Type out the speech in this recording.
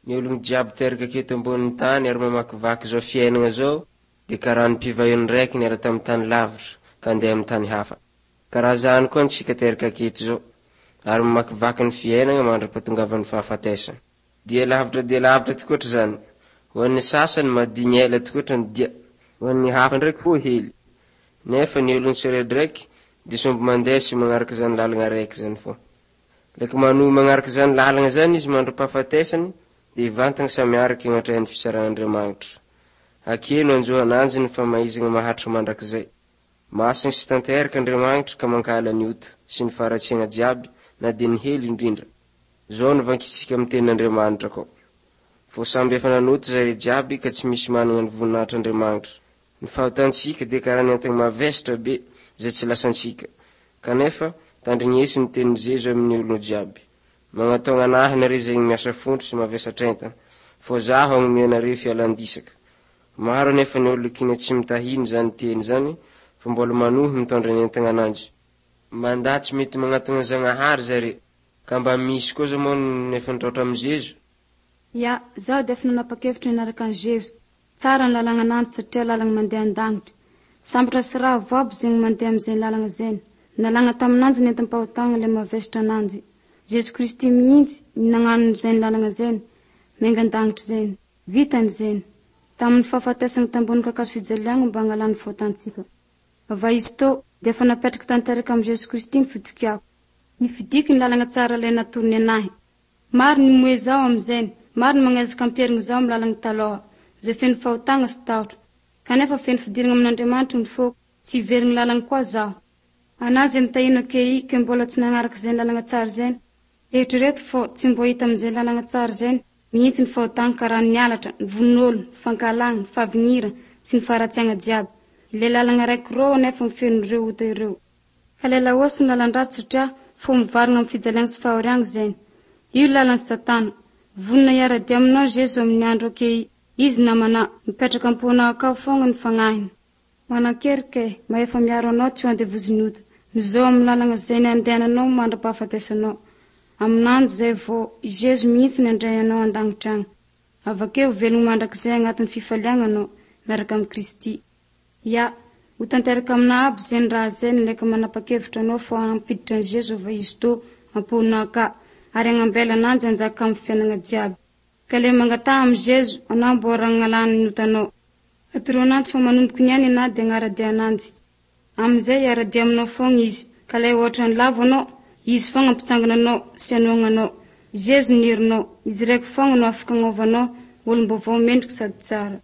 Ny ologno jiaby teraka aketo ambonin'ny tany ary mamakivaky zao fiainana zao dia karaha ny mpivahiny raiky niala tamin'ny tany lavitra ka handeha amin'ny tany hafa. Karaha zany koa antsika teraka aketo zao ary mamakivaky ny fiainana mandra-pahatongavan'ny fahafatesana. Dia lavitra dia lavitra tokoatra zany. Ho an'ny sasany madigny ela tokoatra ny dia, ho an'ny hafa ndraiky ho hely. Nefa ny ologno tsiraidraiky dia somby mandeha sy magnaraka zany lalana raiky zany fô. Leky manohy magnaraka zany lalana zany izy mandra-pahafatesany dia ivantana samy araky agnatrehan'ny fitsaran'Andriamanitra. Akeo no anjo ananjy ny famaizana maharitra mandrakizay. Masina sy tanteraka Andriamanitra ka mankahala ny ota sy ny faharatsiana jiaby na dia ny hely indrindra. Zao no vakintsika amin'ny tenin'Andriamanitra koa. Fô samby efa nanota zare jiaby ka tsy misy manana ny voninahitr'Andriamanitra. Ny fahotantsika dia karaha ny entana mavesatra be izay tsy lasantsika. Kanefa tandrigneso ny tenin'i Jeso amin'ny olona jiaby. Magnataogna anahy nareo izay miasa fontry sy mavesatra entana, fô zaho hagnome anareo fialan-disaka. Maro anefa ny olona kina tsy mitahiny zany teny zany fa mbola manohy mitondra ny entana ananjy. Mandà tsy mety magnatona Zagnahary zare. Ka mba misy koa zao moa nefa nitraotra amin'i Jeso. Ya, zaho dia efa nanapa-kevitra niaraka an'i Jeso. Tsara ny lalagna ananjy satria lalagna mandeha an-danitra. Sambatra sy ravo aby zegny mandeha amin'izay lalagna zay. Nalagna taminanjy ny entam-pahotagna le mavesatra ananjy. Jeso Kristy mihitsy ny nagnano izay lalagna zay, miainga an-danitra zay. Vitany zay. Tamin'ny fahafatesana tambony kakazo fijaliagna mba hangalany fahotantsika. Ava izy tô dia efa napetraka tanteraka amin'i Jeso Kristy ny fitokiako. Nifidiky ny lalagna tsara ilay natorony anahy. Maro ny moe zaho amin'izay, maro ny magnezaka ampiherigny zaho amin'ny lalagna taloha, izay feno fahotagna sy tahotra. Kanefa feno fidirana amin'Andriamanitra ny foko, tsy hiverigny lalagna koa zaho. Ana zay mitahino akei ke mbola tsy nagnaraka izay lalagna tsara izay. Eritrereto fô tsy mbo hita amin'izay lalagna tsara izay mihitsy ny fahotagna karaha ny halatra, ny von'olo, ny fankahalagna, ny fahavignira sy ny faharatsiagna jiaby. Ilay lalagna raiky rô nefa mifeno ireo ota ireo. Ka ilay laosy ny lalan-dratsy satria fô mivarina amin'ny fijaliana sy fahoriagna izay. Io lalan'ny satana. Vonona hiara-dia aminao Jeso amin'ny andro akei. Izy namana, mipetraka am-ponao akao foagna ny fagnahiny. Manan-kery ke, mahefa miaro anao tsy ho andevozin'ny ota. Mizao amin'ny lalagna izay ny andehananao mandra-pahafatesanao. Aminanjy zay vao i Jeso mihitsy no handray anao an-danitra agny. Avakeo velogno mandrakizay agnatin'ny fifaliagna anao, miaraka amin'i Kristy. Ya, ho tanteraka aminao aby zay ny raha zay nileka manapa-kevitra anao fô hampiditra an'i Jeso ava izy tô am-ponao ka ary hagnambela ananjy hanjaka amin'ny fiainana jiaby. Ka le mangataha amin'i Jeso anao mbô ragnalany ny otanao. Atoro ananjy fa manomboky niany anao dia agnara-dia ananjy. Amin'izay hiara-dia aminao foagna izy. Ka lay ohatra ny lavo anao, izy foagna ampitsangana anao sy hanohagna anao. Jeso ny herinao, izy raiky foagna no afaka agnovanao olom-baovao mendriky sady tsara.